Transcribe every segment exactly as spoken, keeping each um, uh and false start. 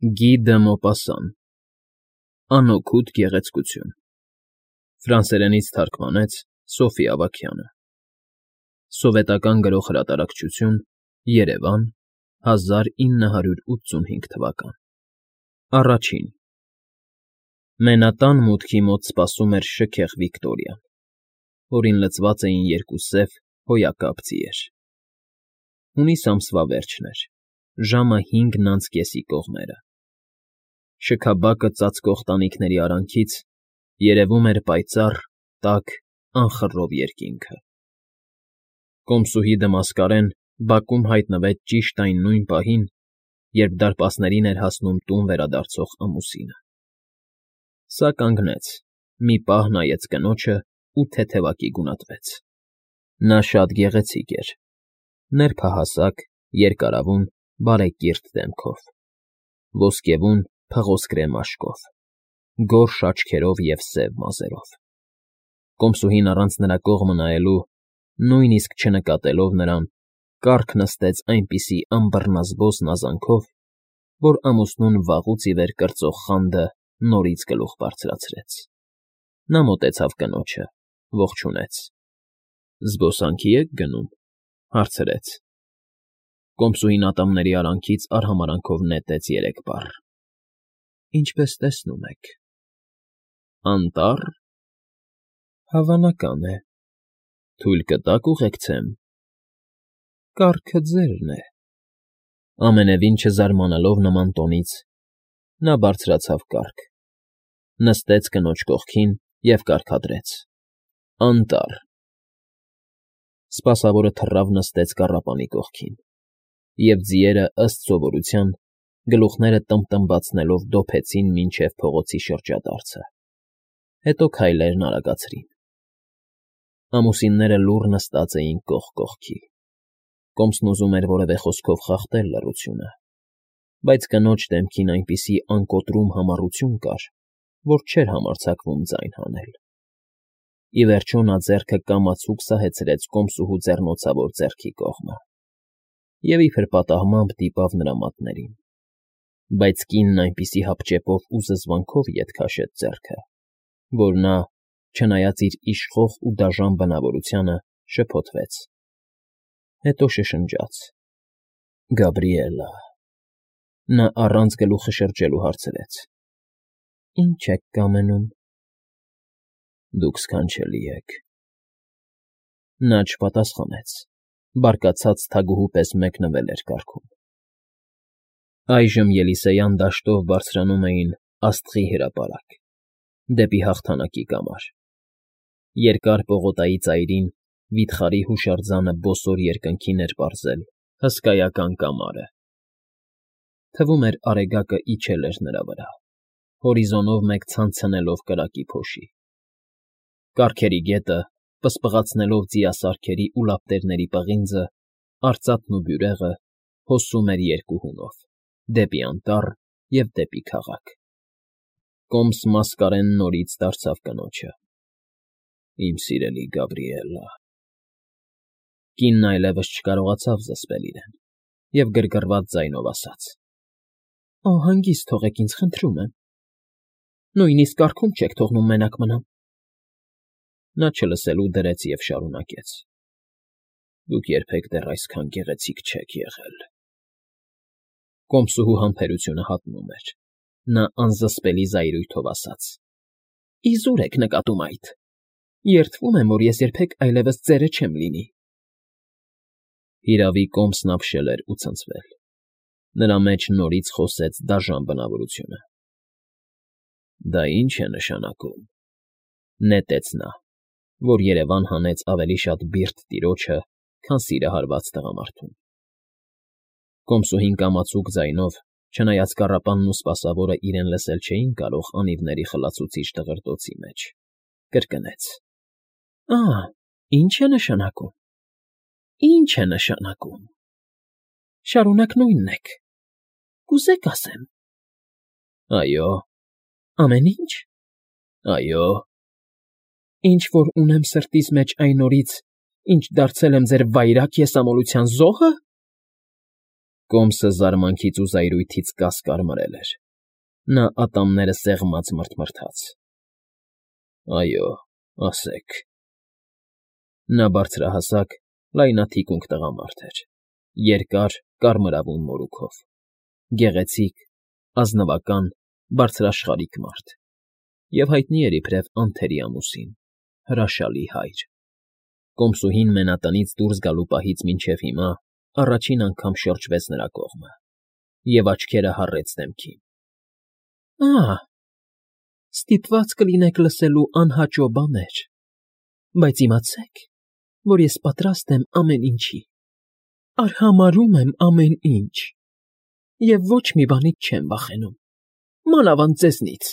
Գի դը Մոպասան Անօգուտ գեղեցկություն Ֆրանսերենից թարգմանեց Սոֆի Ավագյանը Սովետական Գրող Հրատարակչություն Երևան հազար ինը հարյուր ութսունհինգ թվական Առաջին Մենատան մուտքի մոտ սպասում էր շքեղ Վիկտորիան, որին լցված էին երկու սև հոյակապ ձիեր։ Հունիս ամսվա վերջն էր, ժամը հինգն անց կեսի կողմերը։ Շքաբակը ծածկող տանիքների արանքից երևում էր պայծառ, տաք, անխռով երկինքը։ Կոմսուհի Դմասկարեն բակում հայտնվեց ճիշտ այն նույն պահին, երբ դարպասներին էր հասնում տուն վերադարձող ամուսինը։ Սա կանգնեց, մի պահ նայեց կնոջն ու թեթևակի գունատվեց։ Նա շատ գեղեցիկ էր, նրբահասակ, երկարավուն, բարեկիրթ դեմքով, ոսկեվուն, փղոսկրե մաշկով, գորշ աչքերով և սև մազերով։ Կոմսուհին առանց նրա կողմը նայելու, նույնիսկ չնկատելով նրան, կառք նստեց այնպիսի անբռնազբոս նազանքով, որ ամուսնուն վաղուց ի վեր կրծող խանդը նորից գլուխ բարձրացրեց։ Նա մոտեցավ կնոջը, ողջունեց։ ֊ Զբոսանքի եք գնում,֊ հարցրեց։ Կոմսուհին ատամների արանքից արհամարհանքով նետեց երեք բառ։ ֊ Ինչպես տեսնում եք։ ֊ Անտառ։ ֊ Հավանական է։ Թույլ կտաք ուղեկցեմ։ ֊ Կառքը ձերն է։ Ամենևին չզարմանալով նման տոնից, նա բարձրացավ կառք, նստեց կնոջ կողքին և կարգադրեց. Անտառ։ Սպասավորը թռավ նստեց կառապանի կողքին, և ձիերը, ըստ սովորության, գլուխները տմբտմբացնելով դոփեցին մինչև փողոցի շրջադարձը, հետո քայլերն արագացրին։ Ամուսինները լուռ նստած էին կողք կողքի։ Կոմսն ուզում էր որևէ խոսքով խախտել լռությունը, բայց կնոջ դեմքին այնպիսի անկոտրում համառություն կար, որ չէր համարձակվում ձայն հանել։ Ի վերջո նա ձեռքը կամացուկ սահեցրեց կոմսուհու ձեռնոցավոր ձեռքի կողմը և իբր պատահմամբ դիպավ նրա մատներին, բայց կինն այնպիսի հապճեպով ու զզվանքով ետ քաշեց ձեռքը, որ նա, չնայած իր իշխող ու դաժան բնավորությանը, շփոթվեց, հետո շշնջաց. Գաբրիելլա… Նա առանց գլուխը շրջելու հարցրեց. Ի՞նչ եք կամենում։ Դուք սքանչելի եք։ Նա չպատասխանեց, բարկացած թագուհու պես մեկնվել էր կառքում։ Այժմ Ելիսեյան դաշտով բարձրանում էին աստղի հրապարակ, դեպի հաղթանակի կամար։ Երկար պողոտայի ծայրին վիթխարի հուշարձանը բոսոր երկնքին էր պարզել հսկայական կամարը։ Թվում էր արեգակը իջել էր նրա վրա, հորիզոնով մեկ ցանցնելով կրակի փոշի։ Կառքերի գետը, պսպղացնելով ձիասարքերի ու լապտերների պղինձը, արծաթն ու բյուրեղը, հոսում էր երկու հունով՝ դեպի անտառ և դեպի քաղաք։ Կոմս Մասկարեն նորից դարձավ կնոջը. Իմ սիրելի Գաբրիելլա… Կինն այլևս չկարողացավ զսպել իրեն և գրգռված ձայնով ասաց. Անհանգիստ թողեք ինձ, խնդրում եմ։ Նույնիսկ կառքում չեք թողնում մենակ մնամ։ Նա չլսելու դրեց և շարունակեց. Դուք երբեք դեռ այսքան գեղեցիկ չեք եղել։ Կոմսուհու համբերությունը հատնում էր։ Նա անզսպելի զայրույթով ասաց. Իզուր եք նկատում այդ… Երդվում եմ, որ ես երբեք այլևս ծերը չեմ լինի։ Հիրավի, Կոմսն ապշել էր ու ցնցվել։ Նրա մեջ նորից խոսեց դաժան բնավորությունը։ Դա ի՞նչ է նշանակում,֊ նետեց նա, որ երևան հանեց ավելի շատ բիրտ տիրոջը, քան սիրահարված տղամարդուն։ Կոմսուհին կամացուկ ձայնով, չնայած կառապանն ու սպասավորը իրեն լսել չէին կարող անիվների խլացուցիչ տղրտոցի մեջ, կրկնեց. Ա՜, ի՞նչ է նշանակում… Ի՞նչ է նշանակում… Շարունակ նույնն եք… Կուզե՞ք ասեմ… Այո։ Ամեն ինչ… Այո։ Ինչ որ ունեմ սրտիս մեջ այն օրից, ինչ դարձել եմ ձեր վայրագ եսամոլության զո՞հը… Կոմսը զարմանքից ու զայրույթից կասկարմրել էր։ Նա ատամները սեղմած մռթմռթաց։ ֊ Այո, ասեք։ Նա բարձրահասակ, լայնաթիկունք տղամարդ էր, երկար, կարմրավուն մորուքով, գեղեցիկ, ազնվական, բարձրաշխարհիկ մարդ, և հայտնի էր իբրև անթերի ամուսին, հրաշալի հայր։ Կոմսուհին մենատնից դուրս գալու պահից մինչև հիմա առաջին անգամ շրջվեց նրա կողմը և աչքերը հառեց դեմքին։ ֊ Ա՜, ստիպված կլինեք լսելու անհաճո բաներ, բայց իմացեք, որ ես պատրաստ եմ ամեն ինչի, արհամարհում եմ ամեն ինչ և ոչ մի բանից չեմ վախենում, մանավանդ ձեզնից…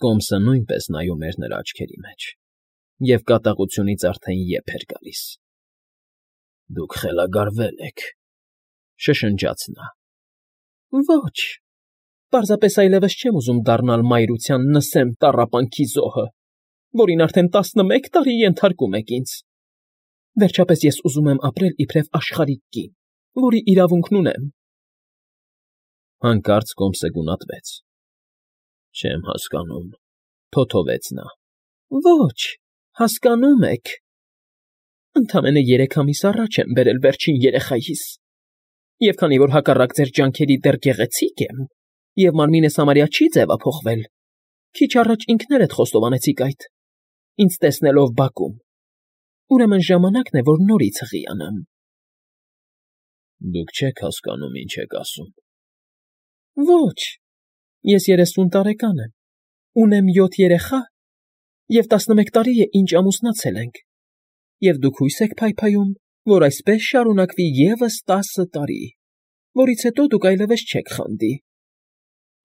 Կոմսը նույնպես նայում էր նրա աչքերի մեջ, և կատաղությունից արդեն եփ էր գալիս։ ֊ Դուք խելագարվել եք,֊ շշնջաց նա։ ֊ Ոչ, պարզապես այլևս չեմ ուզում դառնալ մայրության Նսեմ տառապանքի զոհը, որին արդեն տասնմեկ տարի ենթարկում եք ինձ… Վերջապես ես ուզում եմ ապրել իբրև աշխարհիկ կին, որի իրավունքն ունեմ… Հանկարծ Կոմսը գունատվեց։ ֊ Չեմ հասկանում,֊ թոթովեց նա։ ֊ Ոչ, հասկանում եք… Ընդամենը երեք ամիս առաջ եմ բերել վերջին երեխայիս, և քանի որ հակառակ ձեր ջանքերի դեռ գեղեցիկ եմ, և մարմինս համարյա չի ձևափոխվել, քիչ առաջ ինքներդ խոստովանեցիք այդ, ինձ տեսնելով բակում, ուրեմն ժամանակն է, որ նորից հղիանամ… ֊ Դուք չեք հասկանում, ինչ եք ասում… ֊ Ոչ, ես երեսուն տարեկան եմ, ունեմ յոթ երեխա և տասնմեկ տարի է, ինչ ամուսնացել ենք, և դուք հույս եք փայփայում, որ այսպես շարունակվի ևս տասը տարի, որից հետո դուք այլևս չեք խանդի…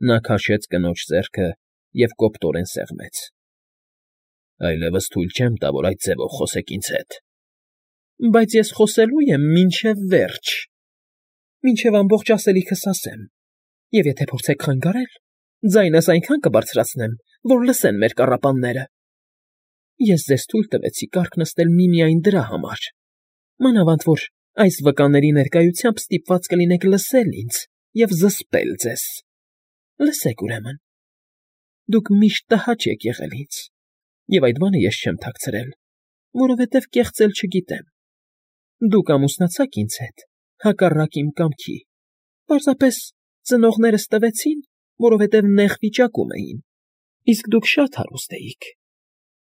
Նա քաշեց կնոջ ձեռքը և կոպտորեն սեղմեց։ ֊ Այլևս թույլ չեմ տա, որ այդ ձևով խոսեք ինձ հետ… ֊ Բայց ես խոսելու եմ մինչև վերջ, մինչև ամբողջ ասելիքս ասեմ, և եթե փորձեք խանգարել, ձայնս այնքան կբարձրացնեմ, որ լսեն մեր կառապանները… Ես ձեզ թույլ տվեցի կառք նստել միմիայն դրա համար, մանավանդ որ այս վկաների ներկայությամբ ստիպված կլինեք լսել ինձ և զսպել ձեզ… Լսեք, ուրեմն… Դուք միշտ տհաճ եք եղել ինձ, և այդ բանը ես չեմ թաքցրել, որովհետև կեղծել չգիտեմ… Դուք ամուսնացաք ինձ հետ հակառակ իմ կամքի, պարզապես ծնողներս տվեցին, որովհետև նեղ վիճակում էին, իսկ դուք շատ հարուստ էիք…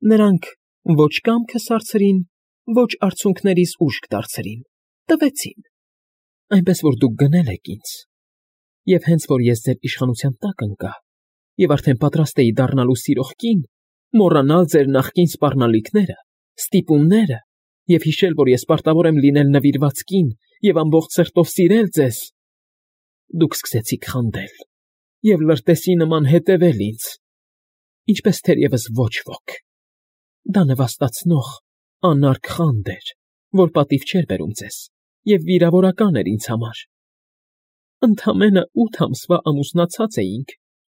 Նրանք ոչ կամքս հարցրին, ոչ արցունքներիս ուժք դարձրին, տվեցին, այնպես որ դուք գնել եք ինձ, և հենց որ ես ձեր իշխանության տակ ընկա և արդեն պատրաստ էի դառնալու սիրող կին, մոռանալ ձեր նախկին սպառնալիքները, ստիպումները և հիշել, որ ես պարտավոր եմ լինել նվիրված կին և ամբողջ սրտով սիրել ձեզ, դուք սկսեցիք խանդել և լրտեսի նման հետևել ինձ, ինչպես թերևս ոչ ոք… Դա նվաստացնող, անարգ խանդ էր, որ պատիվ չէր բերում ձեզ և վիրավորական էր ինձ համար… Ընդամենը ութ ամսվա ամուսնացած էինք,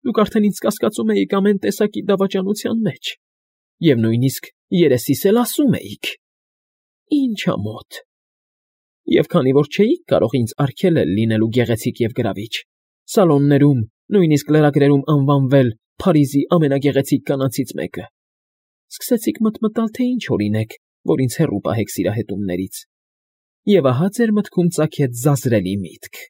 դուք արդեն ինձ կասկածում էիք ամեն տեսակի դավաճանության մեջ և նույնիսկ երեսիս էլ ասում էիք… Ի՜նչ ամոթ… Եվ քանի որ չէիք կարող ինձ արգելել լինելու գեղեցիկ և գրավիչ, սալոններում, նույնիսկ լրագրերում անվանվել Փարիզի ամենագեղեցիկ կանանցից մեկը, սկսեցիք մտմտալ, թե ինչ օրինակ, որ ինձ հեռու պահեք սիրահետումներից, և ահա ձեր մտքում ծագեց ձազրելի միտք…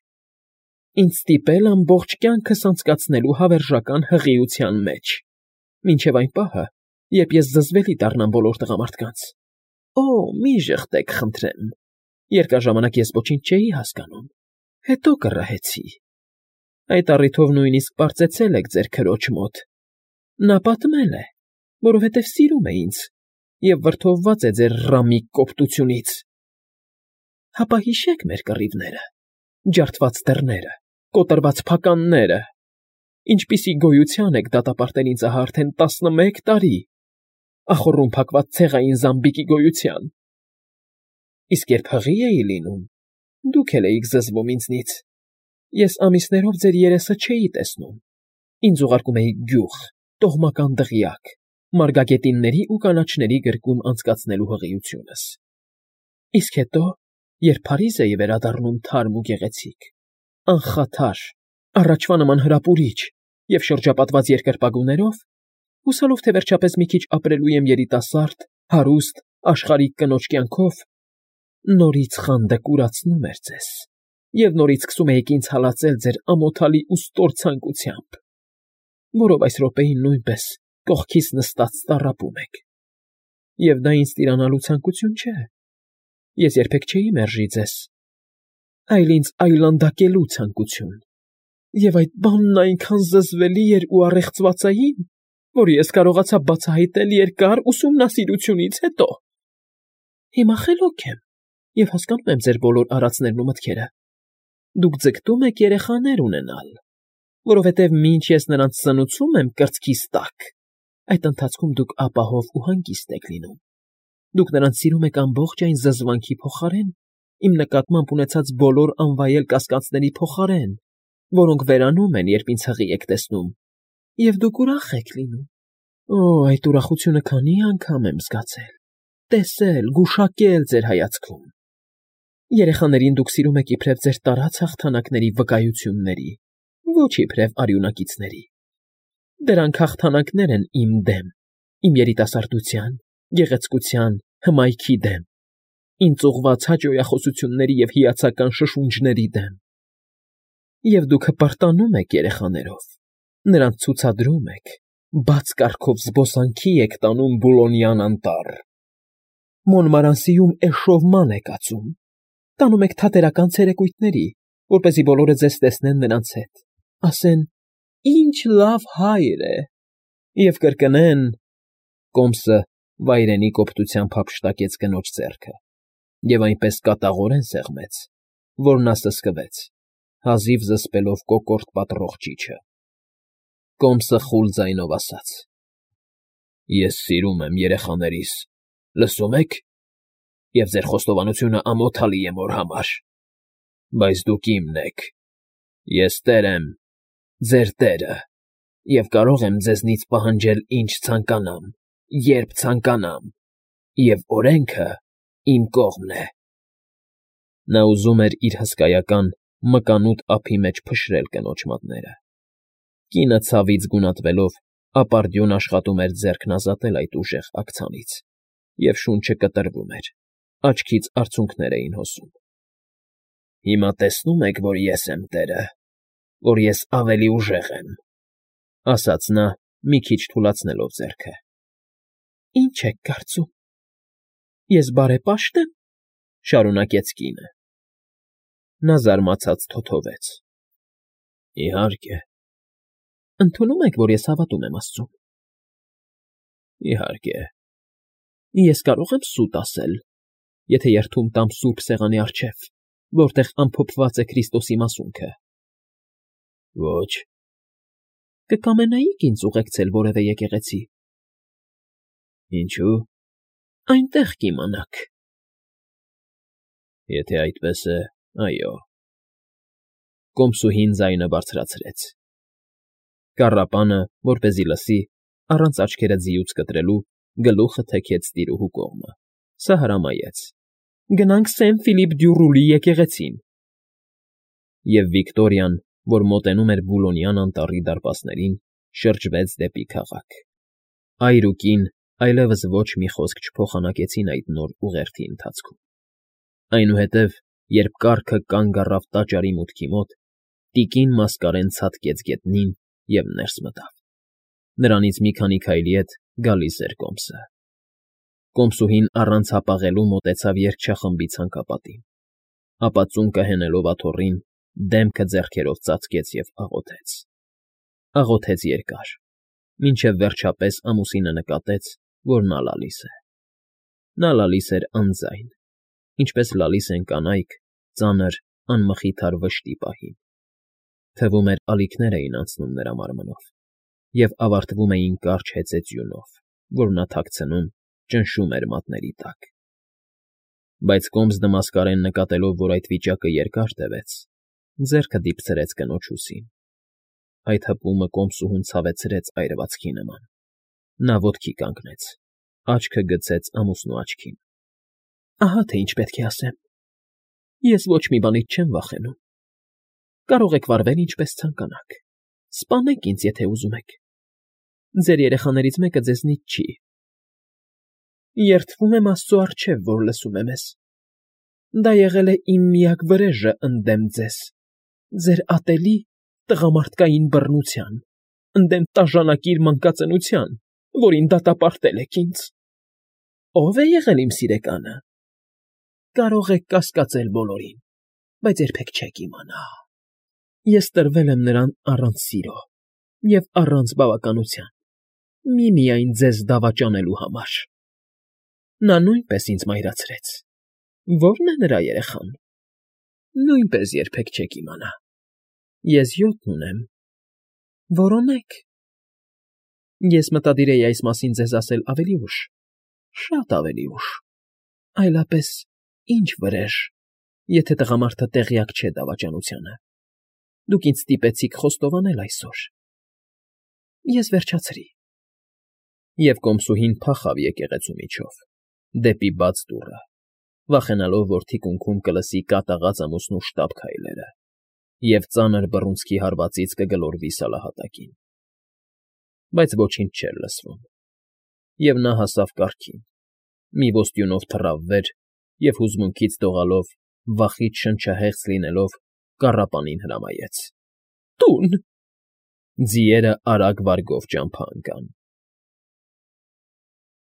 Ինձ ստիպել ամբողջ կյանքս անցկացնելու հավերժական հղիության մեջ, մինչև այն պահը, երբ ես զզվելի դառնամ բոլոր տղամարդկանց… Օ՜, մի ժխտեք, խնդրեմ, երկար ժամանակ ես ոչինչ չէի հասկանում, հետո կռահեցի… Այդ առիթով նույնիսկ պարծեցել եք ձեր քրոջ մոտ… Նա պատմել է, որովհետև սիրում է ինձ և վրդովված է ձեր ռամիկ կոպտությունից… Հապա հիշեք մեր կռիվները, ջարդված դռները, կոտրված փականները… Ինչպիսի գոյության եք դատապարտել ինձ ահա արդեն տասնմեկ տարի, ախոռում փակված ցեղային զամբիկի գոյության… Իսկ երբ հղի էի լինում, դուք էլ էիք զզվում ինձնից… Ես ամիսներով ձեր երեսը չէի տեսնում, ինձ ուղարկում էիք գյուղ, տոհմական դղյակ, մարգագետինների ու կանաչների գրկում անցկացնելու հղիությունս… Իսկ հետո, երբ Փարիզեի վերադառնում թարմ ու գեղեցիկ, անխաթար, առաջվա նման հրապուրիչ և շրջապատված երկրպագուներով, հուսալով, թե վերջապես մի քիչ ապրելու եմ երիտասարդ, հարուստ, աշխարհիկ կնոջ կյանքով, նորից խանդը կուրացնում էր ձեզ, և նորից սկսում էիք ինձ հալածել ձեր ամոթալի ու ստոր ցանկությամբ, որով այս րոպեին նույնպես կողքիս նստած տառապում եք։ Եվ դա ինձ տիրանալու ցանկություն չէ, ես երբեք չէի մերժի ձեզ, այլ ինձ այլանդակելու ցանկություն, և այդ բանն այնքան զզվելի էր ու առեղծվածային, որ ես կարողացա բացահայտել երկար ուսումնասիրությունից հետո։ Հիմա խելոք եմ և հասկանում եմ ձեր բոլոր արածներն ու մտքերը. դուք ձգտում եք երեխաներ ունենալ, որովհետև մինչ ես նրանց սնուցում եմ կրծքիս տակ, այդ ընթացքում դուք ապահով ու հանգիստ եք լինում, դուք նրանց սիրում եք ամբողջ այն զզվանքի փոխարեն, իմ նկատմամբ ունեցած բոլոր անվայել կասկածների փոխարեն, որոնք վերանում են, երբ ինձ հղի եք տեսնում, և դուք ուրախ եք լինում։ Օ, այդ ուրախությունը քանի՜ անգամ եմ զգացել, տեսել, գուշակել ձեր հայացքում։ Երեխաներին դուք սիրում եք իբրև ձեր տարած հաղթանակների վկայությունների, ոչ իբրև արյունակիցների։ Դրանք հաղթանակներ են իմ դեմ, իմ երիտասարդության, գեղեցկության, հմայքի դեմ, ինձ ուղղված հաճոյախոսությունների և հիացական շշունջների դեմ։ Եվ դուք հպարտանում եք երեխաներով, նրանց ցուցադրում եք, բաց կառքով զբոսանքի եք տանում Բուլոնյան անտառ, Մոնմարանսիում էշովման եք ածում, տանում եք թատերական ցերեկույթների, որպեսզի բոլորը ձեզ տեսնեն նրանց հետ, ասեն. «Ինչ լավ հայր է», և կրկնեն… Կոմսը վայրենի կոպտությամբ հափշտակեց կնոջ ձեռքը և այնպես կատաղորեն սեղմեց, որ նա սսկվեց, հազիվ զսպելով կոկորդ պատռող ճիչը։ Կոմսը խուլ ձայնով ասաց. «Ես սիրում եմ երեխաներիս, լսո՞ւմ եք, և ձեր խոստովանությունը ամոթալի է մոր համար, բայց դուք իմն եք, ես տեր եմ, ձեր տերը, և կարող եմ ձեզնից պահանջել ինչ ցանկանամ, երբ ցանկանամ, և օրենքը իմ կողմն է»։ Նա ուզում էր իր հսկայական, մկանուտ ափի մեջ փշրել կնոջ մատները։ Կինը ցավից գունատվելով ապարդյուն աշխատում էր ձեռքն ազատել այդ ուժեղ աքցանից, և շունչը կտրվում էր, աչքից արցունքներ էին հոսում։ «Հիմա տեսնո՞ւմ եք, որ ես եմ տերը, որ ես ավելի ուժեղ եմ», ֊ ասաց նա, մի քիչ թուլացնելով ձեռքը։ «Ի՞նչ եք կարծում, ես բարեպա՞շտ եմ», ֊ շարունակեց կինը։ Նա զարմացած թոթվեց. «Իհարկե»։ «Ընդունում եք, որ ես հավատում եմ աստծուն»։ «Իհարկե»։ «Ես կարո՞ղ եմ սուտ ասել, եթե երդում տամ սուրբ սեղանի առջև, որտեղ ամփոփված է Քրիստոսի մասունքը»։ «Ոչ»։ «Կկամենայի՞ք ինձ ուղեկցել որևէ եկեղեցի»։ «Ինչո՞ւ»։ «Այնտեղ կիմանաք»։ «Եթե այդպես է, այո»։ Կոմսուհին ձայնը բարձրացրեց։ Կառապանը, որպեսզի լսի, առանց աչքերը ձիուց կտրելու, գլուխը թեքեց տիրուհու կողմը, սա հրամայեց. «Գնանք Սեն Ֆիլիպ դյու Ռուլի եկեղեցին»։ Եվ Վիկտորիան, որ մոտենում էր Բուլոնյան անտառի դարպասներին, շրջվեց դեպի քաղաք։ Այր ու կին այլևս ոչ մի խոսք չփոխանակեցին այդ նոր ուղերձի ընթացքում։ Այնուհետև, երբ կառքը կանգ առավ տաճարի մուտքի մոտ, տիկին մասկարեն ցատկեց գետնին և ներս մտավ։ Նրանից մի քանի քայլի հետ գալիս էր Կոմսը։ Կոմսուհին առանց հապաղելու մոտեցավ երգչախմբի ցանկապատին, ապա ծունկը հենելով աթոռին, դեմքը ձեռքերով ծածկեց և աղոթեց։ Աղոթեց երկար, մինչև վերջապես ամուսինը նկատեց, որ նա լալիս է։ Նա լալիս էր անձայն, ինչպես լալիս են կանայք ծանր, անմխիթար վշտի պահին։ Թվում էր ալիքներ էին անցնում նրա մարմնով և ավարտվում էին կարճ հեծեծյունով, որ նա թաքցնում, ճնշում էր մատների տակ։ Բայց Կոմս դմասկարեն նկատելով, որ այդ վիճակը երկար տևեց, ձեռքը դիպցրեց կնոջ ուսին։ Այդ հպումը կոմսուհուն ցավեցրեց այրվածքի նման։ Նա ոտքի կանգնեց, աչքը գցեց ամուսնու աչքին։ «Ահա թե ինչ պետք է ասեմ։ Ես ոչ մի բանից չեմ վախենում։ Կարող եք վարվել ինչպես ցանկանաք։ Սպանեք ինձ, եթե ուզում եք։ Ձեր երեխաներից մեկը ձեզնից չի։ Երդվում եմ Աստծո առջև, որ լսում է մեզ։ Դա եղել է իմ միակ վրեժը ընդդեմ ձեզ, ձեր ատելի տղամարդկային բռնության, ընդդեմ տաժանակիր մանկածնության, որին դատապարտել եք ինձ։ Ո՞վ է եղել իմ սիրեկանը։ Կարող եք կասկածել բոլորին, բայց երբեք չեք իմանա։ Ես տրվել եմ նրան առանց սիրո և առանց բավականության, միմիայն ձեզ դավաճանելու համար։ Նա նույնպես ինձ մայրացրեց։ Ո՞րն է նրա երեխան։ Նույնպես երբեք չեք իմանա։ Ես յոթ ունեմ։ Որոնեք։ Ես մտադիր էի այս մասին ձեզ ասել ավելի ուշ, շատ ավելի ուշ, այլապես ինչ վրեժ, եթե տղամարդը տեղյակ չէ դավաճանությանը։ Դուք ինձ ստիպեցիք խոստովանել այսօր։ Ես վերջացրի։ Եվ կոմսուհին փախավ եկեղեցու միջով, դեպի բաց դուռը, վախենալով, որ թիկունքում կլսի կատաղած ամուսնու շտապ քայլերը և ծանր բռունցքի հարվածից կգլորվի սալահատակին։ Բայց ոչինչ չէր լսվում, և նա հասավ կառքին, մի ոստյունով թռավ վեր և հուզմունքից դողալով, վախից շնչահեղձ լինելով, կառապանին հրամայեց. «Տուն»։ Ձիերը արագ վարգով ճամփա ընկան։